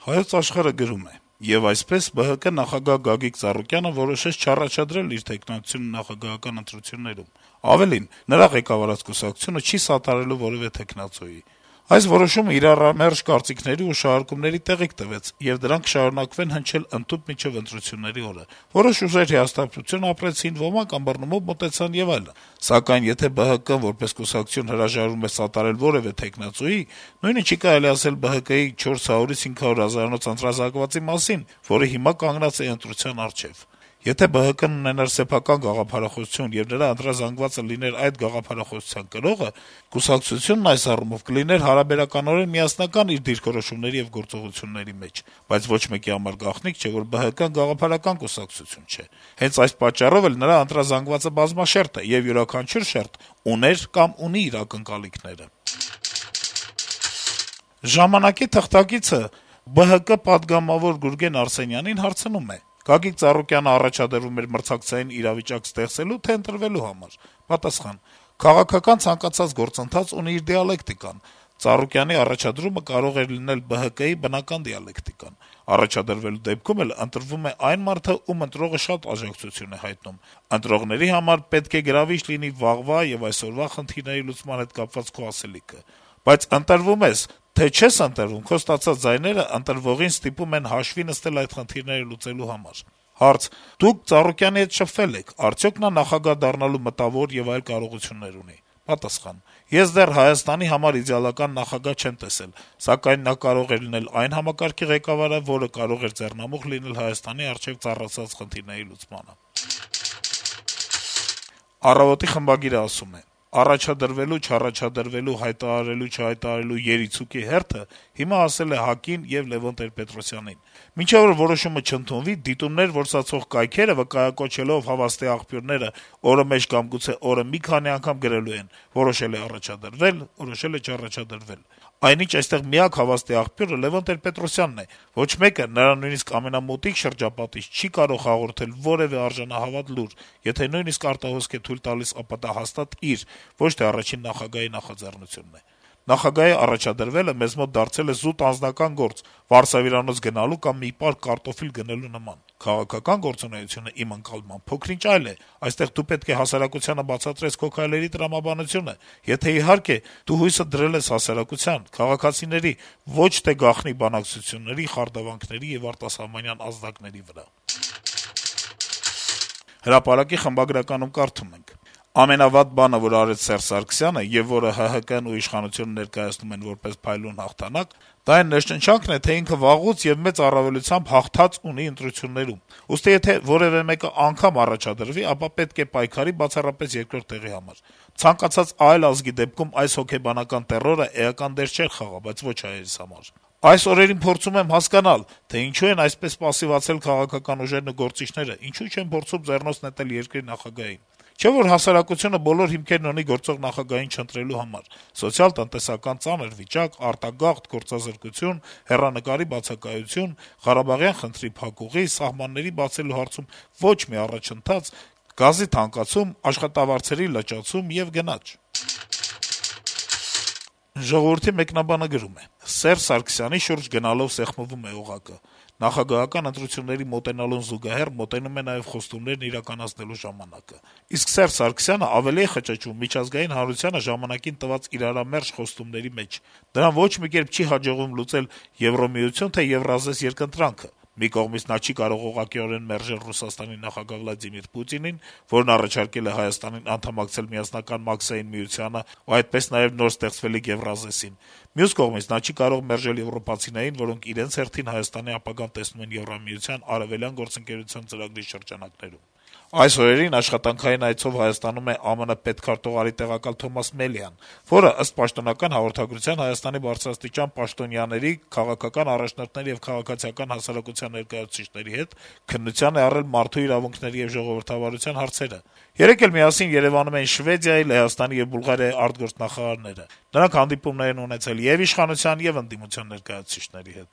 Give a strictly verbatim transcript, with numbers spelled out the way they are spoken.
Հայոց աշխարհը գրում է. - «Եվ այսպես ԲՀԿ նախագահ Գագիկ Ծառուկյանը որոշեց չառաջադրել իր թեկնածությունը նախագահական ընտրություններում: Ավելին, նրա ղեկավարած կուսակցությունը չի սատարելու որեւէ թեկնածուի: Այս որոշումը իրարամերժ կարծիքների ու շահարկումների տեղիք տվեց, եւ դրանք կշարունակվեն հնչել ընդհուպ մինչեւ ընտրությունների օրը: Որոշ ուժեր հիասթափություն ապրեցին, ոմանք ըմբռնումով մոտեցան եւ այլն: Սակայն եթե ԲՀԿ-ն որպես կուսակցություն հրաժարվում է սատարել որեւէ թեկնածուի, նույնը չի կարելի ասել ԲՀԿ-ի չորս հարյուրից հինգ հարյուր հազարանոց ընտրազանգվածի մասին, որը հիմա կանգնած է ընտրության առջեւ: Եթե ԲՀԿ-ն ունենար սեփական գաղափարախոսություն եւ նրա ընտրազանգվածը լիներ այդ գաղափարախոսության կրողը, կուսակցությունն այս առումով կլիներ հարաբերականորեն միասնական իր դիրքորոշումների եւ գործողությունների մեջ: Բայց ոչ մեկի համար գաղտնիք չէ, որ ԲՀԿ-ն գաղափարական կուսակցություն չէ: Հենց այս պատճառով էլ նրա ընտրազանգվածը բազմաշերտ է, եւ յուրաքանչյուր շերտ ուներ կամ ունի իր ակնկալիքները»: «Ժամանակ»-ի թղթակիցը ԲՀԿ պատգամավոր Գուրգեն Արսենյանին հարցնում է. - «Գագիկ Ծառուկյանը առաջադրվում էր մրցակցային իրավիճակ ստեղծելո՞ւ, թե ընտրվելու համար»: Պատասխան. - «Քաղաքական ցանկացած գործընթաց ունի իր դիալեկտիկան: Ծառուկյանի առաջադրումը կարող էր լինել ԲՀԿ-ի բնական դիալեկտիկան: Առաջադրվելու դեպքում էլ ընտրվում է այն մարդը, ում ընտրողը շատ աջակցություն է հայտնում: Ընտրողների համար պետք է գրավիչ լինի վաղվա եւ այսօրվա խնդիրների լուծման հետ կապված քո ասելիքը: Բայց ընտրվում ես, թե չես ընտրվում, քո ստացած ձայները ընտրվողին ստիպում են հաշվի նստել այդ խնդիրները լուծելու համար»: Հարց. - «Դուք Ծառուկյանի հետ շփվել եք, արդյո՞ք նա նախագահ դառնալու մտավոր եւ այլ կարողություններ ունի»: Պատասխան. - «Ես դեռ Հայաստանի համար իդեալական նախագահ չեմ տեսել, սակայն նա կարող է լինել այն համակարգի ղեկավարը, որը կարող էր ձեռնամուխ լինել Հայաստանի առջեւ ծառացած խնդիրների լուծմանը»: «Առավոտ»-ի խմբագիրը ասում է. - «Առաջադրվելու, չառաջադրվելու, հայտարարելու-չհայտարարելու երիցուկի հերթը հիմա ասել է ՀԱԿ-ին եւ Լեւոն Տեր-Պետրոսյանին: Մինչեւ որ որոշումը չընդունվի, դիտումներ որսացող կայքերը, վկայակոչելով հավաստի աղբյուրները օրը մեջ կամ գուցե օրը մի քանի անգամ գրելու են` որոշել է առաջադրվել, որոշել է չառաջադրվել: Այնինչ այստեղ միակ հավաստի աղբյուրը Լեւոն Տեր-Պետրոսյանն է: Ոչ մեկը, նրա նույնիսկ ամենամոտիկ շրջապատից չի կարող հաղորդել որեւէ արժանահավատ լուր, եթե նույնիսկ արտահոսք է թույլ տալիս, ապա դա հաստատ իր, ոչ թե առաջին նախագահի նախաձեռնությունն է: Նախագահի առաջադրվելը մեզ մոտ դարձել է զուտ անձնական գործ, վարսավիրանոց գնալու կամ մի պար կարտոֆիլ գնելու նման: Քաղաքական գործունեությունը, իմ ընկալմամբ, փոքր-ինչ այլ է: Այստեղ դու պետք է հասարակությանը բացատրես քո քայլերի տրամաբանությունը, եթե, իհարկե, դու հույսդ դրել ես հասարակության, քաղաքացիների, ոչ թե գաղտնի բանակցությունների, խարդավանքների եւ արտասահմանյան ազդակների վրա»: «Հրապարակ»-ի խմբագրականում կարդում ենք. - «Ամենավատ բանը, որ արեց Սերժ Սարգսյանը, եւ որը ՀՀԿ-ն ու իշխանությունը ներկայացնում են որպես փայլուն հաղթանակ, դա այն ներշնչանքն է, թե ինքը վաղուց եւ մեծ առավելությամբ հաղթած ունի ընտրություններում: Ուստի եթե որեւէ մեկը անգամ առաջադրվի, ապա պետք է պայքարի բացառապես երկրորդ տեղի համար: Ցանկացած այլ ազգի դեպքում այս հոգեբանական տեռորը էական դեր չէր խաղա, բայց ոչ հայերիս համար: Այս օրերին փորձում եմ հասկանալ, թե ինչու են այսպես պասիվացել քաղաքական ուժերն ու գործիչները, ինչու չեն փորձում ձեռնոց նետել երկրի նախագահին: Չէ՞ որ հասարակությունը բոլոր հիմքերն ունի գործող նախագահին չընտրելու համար: Սոցիալ-տնտեսական ծանր վիճակ, արտագաղթ, գործազրկություն, հեռանկարի բացակայություն, Ղարաբաղյան խնդրի փակուղի, սահմանների բացելու հարցում ոչ մի առաջընթաց, գազի թանկացում, աշխատավարձերի լճացում եւ գնաճ»: «Ժողովուրդ»-ի մեկնաբանը գրում է. - «Սերժ Սարգսյանի շուրջ գնալով սեղմվում է օղակը: Նախագահական ընտրությունների մոտենալուն զուգահեռ մոտենում է նաեւ խոստումներն իրականացնելու ժամանակը: Իսկ Սերժ Սարգսյանը ավելի է խճճվում միջազգային հանրությանը ժամանակին տված իրարամերժ խոստումների մեջ: Դրան ոչ մի կերպ չի հաջողվում լուծել Եվրամիություն, թե Եվրազես երկընտրանքը: Մի կողմից նա չի կարող ուղղակիորեն մերժել Ռուսաստանի նախագահ Վլադիմիր Պուտինին, որն առաջարկել է Հայաստանին անդամակցել Միասնական Մաքսային միությանը ու այդպես նաեւ նոր ստեղծվելիք Եվրազեսին: Մյուս կողմից նա չի կարող մերժել եվրոպացիներին, որոնք իրենց հերթին Հայաստանի ապագան տեսնում են Եվրամիության Արեւելյան գործընկերության ծրագրի շրջանակներում: Այս օրերին աշխատանքային այցով Հայաստանում է ԱՄՆ պետքարտուղարի տեղակալ Թոմաս Մելիան, որը, ըստ պաշտոնական հաղորդագրության, Հայաստանի բարձրաստիճան պաշտոնյաների, քաղաքական առաջնորդների եւ քաղաքացիական հասարակության ներկայացուցիչների հետ քննության է առել մարդու իրավունքների եւ ժողովրդավարության հարցերը: Երեկ էլ միասին Երեւանում էին Շվեդիայի, Լեհաստանի եւ Բուլղարիայի արտգործնախարարները: Նրանք հանդիպումներ են ունեցել եւ իշխանության, եւ ընդդիմության ներկայացուցիչների հետ»: